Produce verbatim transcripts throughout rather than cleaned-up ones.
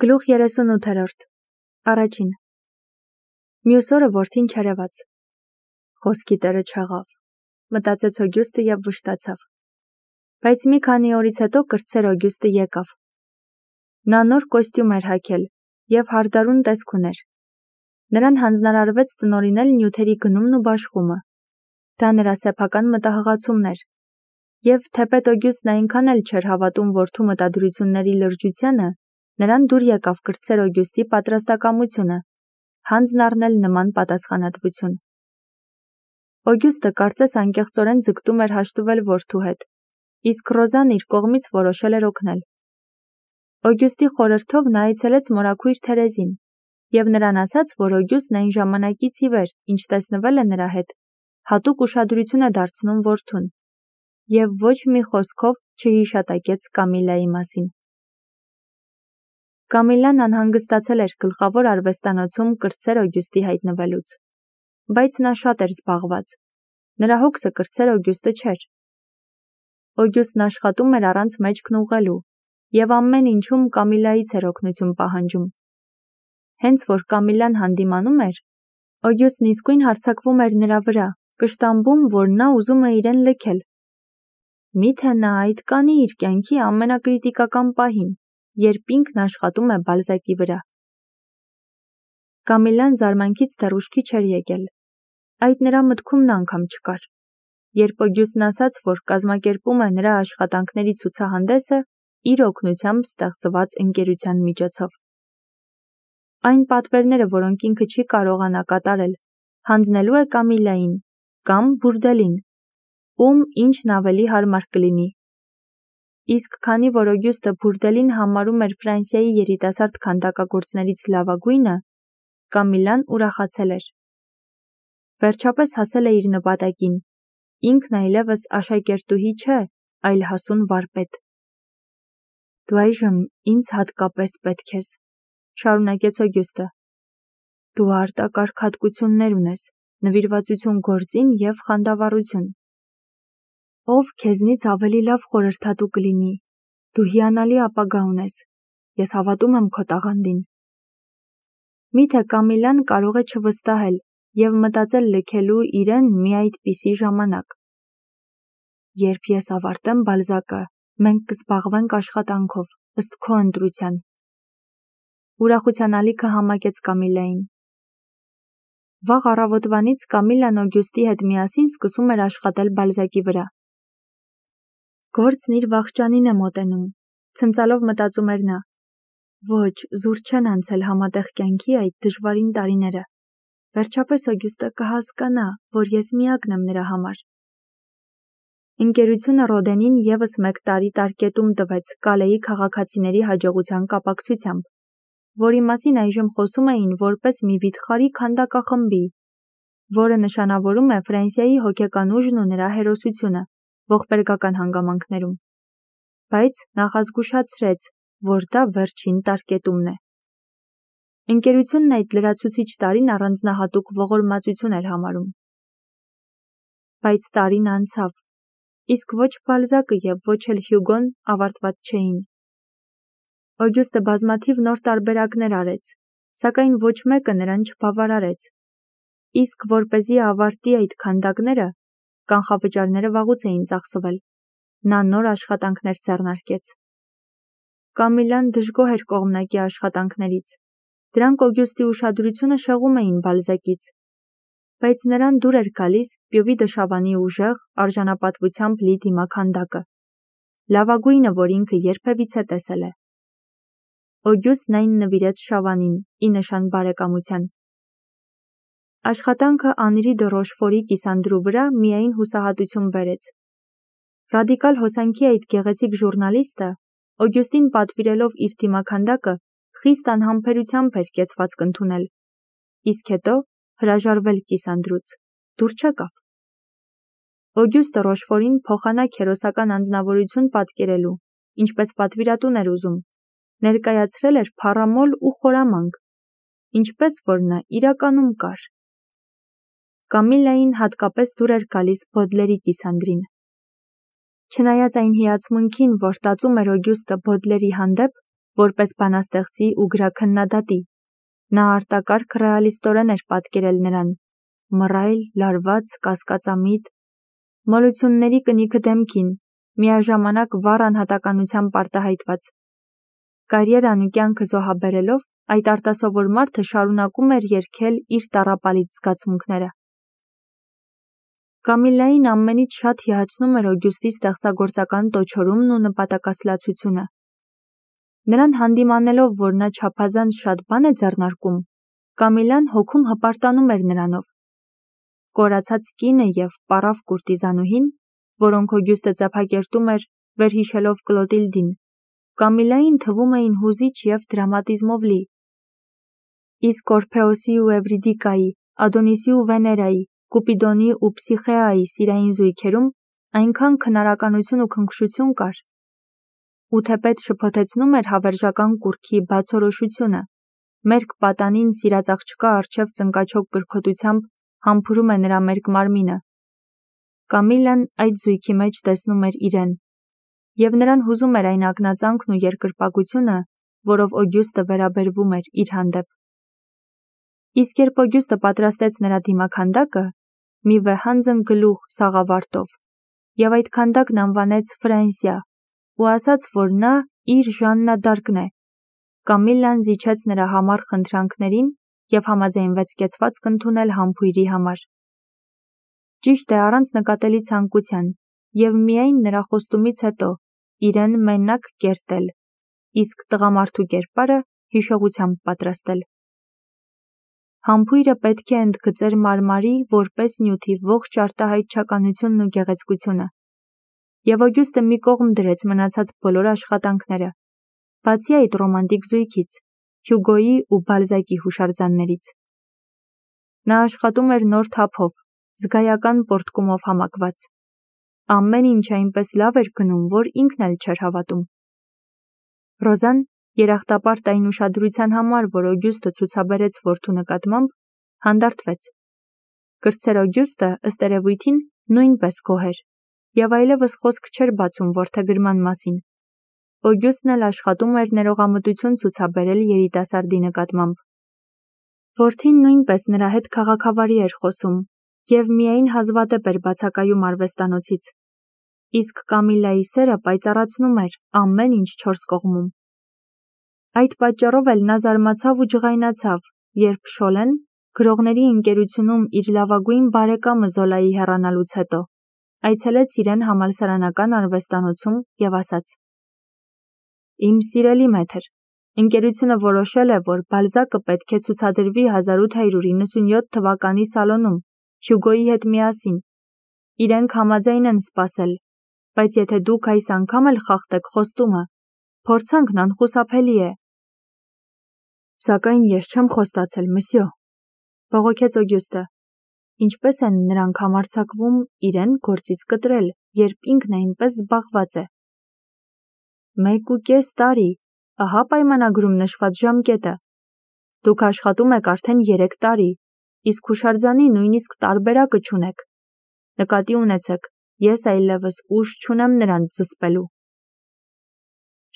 Գլուխ երեսունութերորդ Առաջին Մյուս օրը որդին չերևաց։ Խոսքի տերը չեղավ, մտածեց Օգյուստը և վշտացավ։ Բայց մի քանի օրից հետո կրտսեր Օգյուստը եկավ։ Նա նոր կոստյում էր հագել և հարդարուն տեսք ուներ։ Նրան հանձնարարվեց տնօրինել նյութերի գնումն ու բաշխումը։ Դա նրա սեփական մտահղացումն էր։ Եվ թեպետ Օգյուստն այնքան էլ չէր հավատում որդու մտադրությունների լրջությանը, նրան դուր եկավ կրտսեր Օգյուստի պատրաստակամությունը, հանձն առնել նման պատասխանատվություն։ Օգյուստը կարծես անկեղծորեն ձգտում էր հաշտվել որդու հետ, իսկ Ռոզան իր կողմից որոշել էր օգնել։ Օգյուստի խորհրդով նա այցելեց մորաքույր Թերեզին և նրան ասաց, որ Օգյուստն այն ժամանակից ի վեր, ինչ տեսնվել է նրա հետ, հատուկ ուշադրություն է դարձնում որդուն, և ոչ մի խոսքով չհիշատակեց Կամիլլայի մասին։ Կամիլլան անհանգստացել էր գլխավոր արվեստանոցում կրտսեր Օգյուստի հայտնվելուց, բայց նա շատ էր զբաղված։ Նրա հոգսը կրտսեր Օգյուստը չէր։ Օգյուստն աշխատում էր առանց մեջքն ուղղելու և ամեն ինչում Կամիլլայից էր օգնություն պահանջում։ Հենց որ Կամիլլան հանդիմանում էր, Օգյուստն իսկույն հարձակվում էր նրա վրա, կշտամբում, որ նա ուզում է իրեն լքել։ Միթե նա այդ կանի իր կյանքի ամենակրիտիկական պահին, երբ ինքն աշխատում է Բալզակի վրա։ Կամիլլան զարմանքից դեռ ուշքի չէր եկել։ Այդ նրա մտքումն անգամ չկար։ Երբ Օգյուստն ասաց, որ կազմակերպում է նրա աշխատանքների ցուցահանդեսը իր օգնությամբ ստեղծված ընկերության միջոցով։ Այն պատվերները, որոնք ինքը չի կարողանա կատարել, հանձնելու է Կամիլլային կամ Բուրդելին, ում ինչն ավելի հարմար կլինի։ Իսկ քանի որ Օգյուստը Բուրդելին համարում էր Ֆրանսիայի երիտասարդ քանդակագործներից լավագույնը, Կամիլլան ուրախացել էր։ Վերջապես հասել է իր նպատակին, ինքն այլևս աշակերտուհի չէ, այլ հասուն վարպետ։ Դու այժմ ինձ հատկապես պետք ես, շարունակեց Օգյուստը։ Դու արտակարգ հատկություններ ունես, նվիրվածություն գործին և խանդավառություն։ Ով քեզնից ավելի լավ խորհրդատու կլինի, դու հիանալի ապագա ունես, ես հավատում եմ քո տաղանդին։ Միթե Կամիլլան կարող է չվստահել և մտածել լքելու իրեն մի այդպիսի ժամանակ։ Երբ ես ավարտեմ Բալզակը, մենք կզբաղվենք աշխատանքով, ըստ քո ընտրության։ Ուրախության ալիքը համակեց Կամիլլային։ Վաղ առավոտվանից Կամիլլան Օգյուստի հետ միասին սկսում էր աշխատել Բալզակի վրա։ Գործն իր վախճանին է մոտենում, ցնծալով մտածում էր նա։ Ոչ, զուր չեն անցել համատեղ կյանքի այդ դժվարին տարիները։ Վերջապես Օգյուստը կհասկանա, որ ես միակն եմ նրա համար։ Ընկերությունը Ռոդենին ևս մեկ տարի տարկետում տվեց Կալեի քաղաքացիների հաջողության կապակցությամբ, որի մասին այժմ խոսում էին որպես մի վիթխարի քանդակախմբի, որը նշանավորում է Ֆրանսիայի հոգեկան ուժն ու նրա հերոսությունը ողբերգական հանգամանքներում։ Բայց նախազգուշացրեց, որ դա վերջին տարկետումն է։ Ընկերությունն այդ լրացուցիչ տարին առանձնահատուկ ողորմածություն էր համարում։ Բայց տարին անցավ, իսկ ոչ Բալզակը և ոչ էլ Հյուգոն ավարտված չէին։ Օգյուստը բազմաթիվ նոր տարբերակներ արեց, սակայն ոչ մեկը նրան չբավարարեց։ Իսկ որպեսզի ավարտի այդ քանդակները, կանխավճարները վաղուց էին ծախսվել, նա նոր աշխատանքներ ձեռնարկեց։ Կամիլլան դժգոհ էր կողմնակի աշխատանքներից։ Դրանք Օգյուստի ուշադրությունը շեղում էին Բալզակից։ Բայց նրան դուր էր գալիս Պյովի դշավանի ուժեղ, արժանապատվությամբ լի դիմաքանդակը, լավագույնը, որ ինքը երբևիցե տեսել է։ Օգյուստն այն նվիրեց Շավանին, ի նշան բարեկամության։ Աշխատանքը Անրի դը Ռոշֆորի կիսանդրու վրա միայն հուսահատություն բերեց։ Ռադիկալ հոսանքի այդ գեղեցիկ ժուռնալիստը, Օգյուստին պատվիրելով իր դիմաքանդակը, խիստ անհամբերությամբ էր կեցվածք ընդունել, իսկ հետո հրաժարվել կիսանդրուց, դուր չեկավ։ Օգյուստը Ռոշֆորին փոխանակ հերոսական անձնավորություն պատկերելու, ինչպես պատվիրատուն էր ուզում, ներկայացրել էր փառամոլ ու խորամանկ, ինչպես որ նա իրականում կար։ Կամիլլային հատկապես դուր էր գալիս Բոդլերի կիսանդրին։ Չնայած այն հիացմունքին, որ տածում էր Օգյուստը Բոդլերի հանդեպ, որպես բանաստեղծի ու գրաքննադատի։ Նա արտակարգ ռեալիստորեն էր պատկերել նրան, մռայլ, լարված, կասկածամիտ, մոլությունների կնիքը դեմքին, միաժամանակ վառ անհատականությամբ արտահայտված։ Կարիերան ու կյանքը զոհաբերելով, այդ արտասովոր մարդը շարունակում էր երգել իր տառապալից զգացմունքները։ Կամիլային ամենից շատ հիացնում էր Օգյուստի ստեղծագործական տոչորումն ու նպատակասլացությունը։ Նրան հանդիմանելով, որ նա չափազանց շատ բան է ձեռնարկում, Կամիլան հոգում հպարտանում էր նրանով։ Կորացած կինը և պառավ կուրտիզանուհին, որոնք Օգյուստը ծափակերտում էր, վերհիշելով Կլոտիլդին, Կամիլային թվում էին հուզիչ և դրամատիզմով լի։ Իսկ Օրփեոսի ու Էվրիդիկայի, Ադոնիսի ու Վեներայի, Կուպիդոնի ու Փսիխեայի սիրային զույգերում այնքան քնարականություն ու քնքշություն կար, ու թեպետ շփոթեցնում էր հավերժական կուռքի բացորոշությունը, մերկ պատանին սիրած աղջկա առջև ծնկաչոք կրքոտությամբ համբուրում է նրա մերկ մարմինը։ Կամիլան այդ զույգի մեջ տեսնում էր իրեն, և նրան հուզում էր այն ակնածանքն ու երկրպագությունը, որով Օգյուստը վերաբերվում էր իր հանդեպ։ Իսկ երբ Օգյուստը պատրաստեց նրա դիմաքանդակը, մի վեհանձն գլուխ սաղավարտով, և այդ քանդակն անվանեց Ֆրանսիա, ու ասաց, որ նա իր Ժաննա Դարկն է, Կամիլան զիջեց նրա համառ խնդրանքներին և համաձայնվեց կեցվածք ընդունել համբույրի համար։ Ճիշտ է, առանց նկատելի ցանկության, և միայն նրա խոստումից հետո իրեն մենակ կերտել, իսկ տղամարդու կերպարը հիշողությամբ պատրաստել։ Համբույրը պետք է ընդգծեր մարմարի որպես նյութի ողջ արտահայտչականությունն ու գեղեցկությունը, և Օգյուստը մի կողմ դրեց մնացած բոլոր աշխատանքները, բացի այդ ռոմանտիկ զույգից, Հյուգոյի ու Բալզակի հուշարձաններից։ Նա աշխատում էր նոր թափով, զգայական պոռթկումով համակված։ Ամեն ինչ այնպես լավ էր գնում, որ ինքն էլ չէր հավատում։ Ռոզան, երախտապարտ այն ուշադրության համար, որ Օգյուստը ցուցաբերեց որդու նկատմամբ, հանդարտվեց։ Կրտսեր Օգյուստը, ըստ երևույթին, նույնպես գոհ էր, և այլևս խոսք չէր բացում որդեգրման մասին։ Օգյուստն էլ աշխատում էր ներողամտություն ցուցաբերել երիտասարդի նկատմամբ։ Որդին նույնպես նրա հետ քաղաքավարի էր խոսում և միայն հազվադեպ էր բացակայում արվեստանոցից, իսկ Կամիլայի սերը պայծառացնում էր ամեն ինչ չորս կողմում։ Այդ պատճառով էլ նա զարմացավ ու ջղայնացավ, երբ Շոլեն, գրողների ընկերությունում իր լավագույն բարեկամը Զոլայի հեռանալուց հետո, այցելեց իրեն համալսարանական արվեստանոցում և ասաց. «Իմ սիրելի մեթր, ընկերությունը որոշել է, որ Բալզակը պետք է ցուցադրվի հազար ութ հարյուր իննսունյոթ թվականի Սալոնում, Հյուգոյի հետ միասին։ Իրենք համաձայն են սպասել, բայց եթե դուք այս անգամ էլ խախտեք խոստումը, փորձանքն անխուսափելի է»։ «Սակայն ես չեմ խոստացել, մսյո», բողոքեց Օգյուստը։ Ինչպես են նրանք համարձակվում իրեն գործից կտրել, երբ ինքն այնպես զբաղված է։ Մեկ ու կես տարի, ահա պայմանագրում նշված ժամկետը։ Դուք աշխատում եք արդեն երեք տարի, իսկ հուշարձանի նույնիսկ տարբերակը չունեք։ Նկատի ունեցեք, ես այլևս ուժ չունեմ նրանց զսպելու։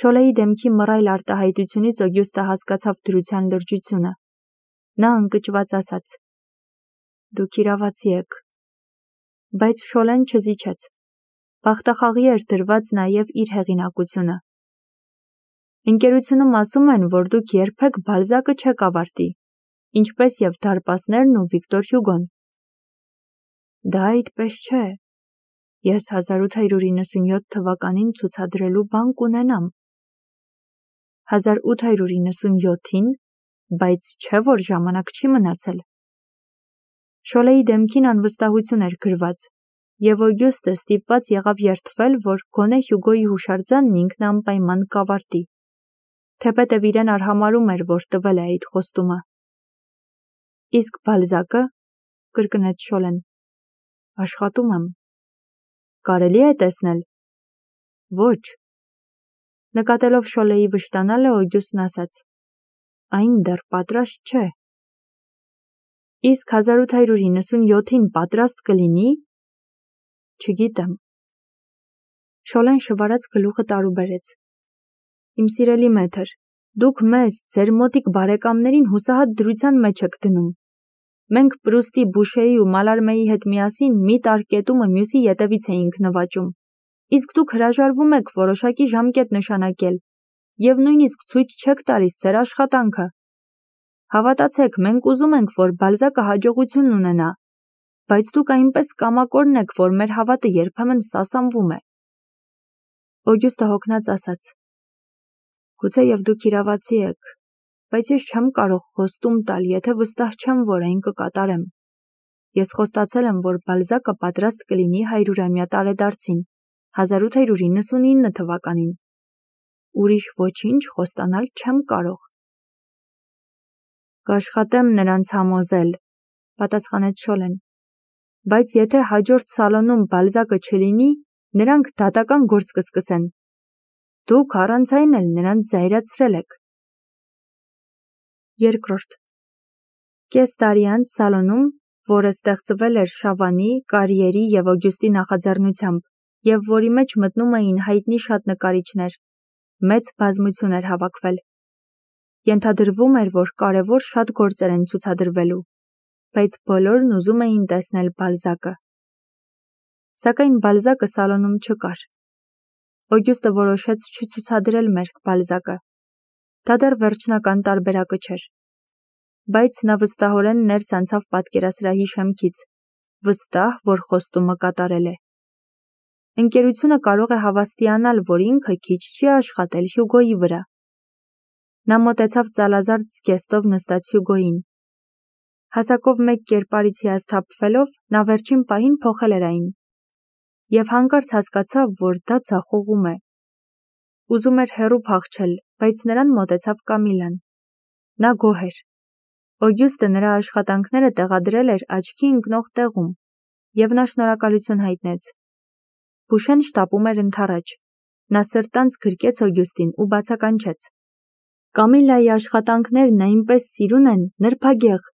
Շոլեի դեմքի մռայլ արտահայտությունից Օգյուստը հասկացավ դրության լրջությունը։ Նա ընկճված ասաց. «Դուք իրավացի եք»։ Բայց Շոլեն չզիջեց։ Բախտախաղի էր դրված նաև իր հեղինակությունը։ Ընկերությունում ասում են, որ դուք երբեք Բալզակը չեք ավարտի, ինչպես և դարպասներն ու Վիկտոր Հյուգոն։ Դա այդպես չէ։ Ես հազար ութ հարյուր իննսունյոթ թվականին ցուցադրելու բան կունենամ։ հազար ութ հարյուր իննսունյոթին, բայց չէ՞ որ ժամանակ չի մնացել։ Շոլեի դեմքին անվստահություն էր գրված, և Օգյուստը ստիպված եղավ երդվել, որ գոնե Հյուգոյի հուշարձանն ինքն անպայման կավարտի, թեպետև իրեն արհամարհում էր, որ տվել է այդ խոստումը։ Իսկ Բալզակը, կրկնեց Շոլեն, աշխատում եմ։ Կարելի է տեսնել։ Ոչ։ Նկատելով Շոլեի վշտանալը, Օգյուստն ասաց. Այն դեռ պատրաստ չէ։ Իսկ հազար ութ հարյուր իննսունյոթին պատրաստ կլինի։ Չգիտեմ։ Շոլեն շվարած գլուխը տարուբերեց։ Իմ սիրելի մեթր, Դուք մեզ, ձեր մոտիկ բարեկամներին հուսահատ դրության մեջ եք դնում։ Մենք Պրուստի, Բուշեի ու Մալարմեի հետ միասին մի տարկետումը մյուսի ետևից էինք նվաճում, իսկ դուք հրաժարվում եք որոշակի ժամկետ նշանակել և նույնիսկ ցույց չեք տալիս ձեր աշխատանքը։ Հավատացեք, մենք ուզում ենք, որ Բալզակը հաջողություն ունենա, բայց դուք այնպես կամակորն եք, որ մեր հավատը երբեմն սասանվում է։ Օգյուստը հոգնած ասաց. Գուցե և դուք իրավացի եք, բայց ես չեմ կարող խոստում տալ, եթե վստահ չեմ, որ այն կկատարեմ։ Ես խոստացել եմ, որ Բալզակը պատրաստ կլինի հարյուրամյա տարեդարձին, հազար ութ հարյուր իննսունինը թվականին։ Ուրիշ ոչինչ խոստանալ չեմ կարող։ Կաշխատեմ նրանց համոզել, պատասխանեց Շոլեն, բայց եթե հաջորդ սալոնում Բալզակը չլինի, նրանք դատական գործ կսկսեն։ Դուք առանց այն էլ նրանց զայրացրել եք։ Երկրորդ. Կես տարի անց սալոնում, որը ստեղծվել էր Շավանի, Կարիերի և Օգյուստի նախաձեռնությամբ, և որի մեջ մտնում էին հայտնի շատ նկարիչներ, մեծ բազմություն էր հավաքվել։ Ենթադրվում էր, որ կարևոր շատ գործեր են ցուցադրվելու, բայց բոլորն ուզում էին տեսնել Բալզակը։ Սակայն Բալզակը սալոնում չկար։ Օգյուստը որոշեց չցուցադրել մերկ Բալզակը։ Դա դեռ վերջնական տարբերակը չէր։ Բայց նա վստահորեն ներս անցավ պատկերասրահի շեմքից, վստահ, որ խոստումը կատարել է։ Ընկերությունը կարող է հավաստիանալ, որ ինքը քիչ չի աշխատել Հյուգոյի վրա։ Նա մոտեցավ ծալազարդ զգեստով նստած Հյուգոյին։ Հասակով մեկ կերպարից հիասթափվելով, նա վերջին պահին փոխել էր այն։ Եվ հանկարծ հասկացավ, որ դա ձախողում է։ Ուզում էր հեռու փախչել, բայց նրան մոտեցավ Կամիլան։ Նա գոհ էր։ Օգյուստը նրա աշխատանքները տեղադրել էր աչքի ընկնող տեղում, և նա շնորհակալություն հայտնեց։ Բուշեն շտապում էր ընդառաջ։ Նա սրտանց գրկեց Օգյուստին ու բացականչեց. Կամիլայի աշխատանքներն այնպես սիրուն են, նրբագեղ։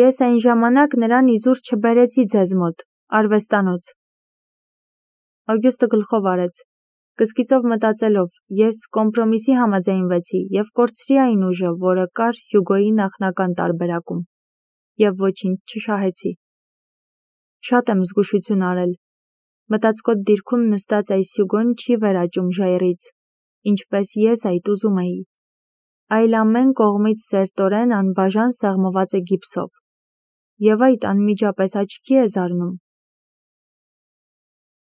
Ես այն ժամանակ նրան իզուր չբերեցի ձեզ մոտ, արվեստանոց։ Օգյուստը գլխով արեց, կսկիծով մտածելով, ես կոմպրոմիսի համաձայնվեցի և կորցրի այն ուժը, որը կար Հյուգոյի նախնական տարբերակում, և ոչինչ չշահեցի։ Շատ եմ զգուշություն արել։ Մտածկոտ դիրքում նստած այս Հյուգոն չի վերաճում ժայռից, ինչպես ես այդ ուզում էի, այլ ամեն կողմից սերտորեն անբաժան սեղմված է գիպսով, և այդ անմիջապես աչքի է զարնում։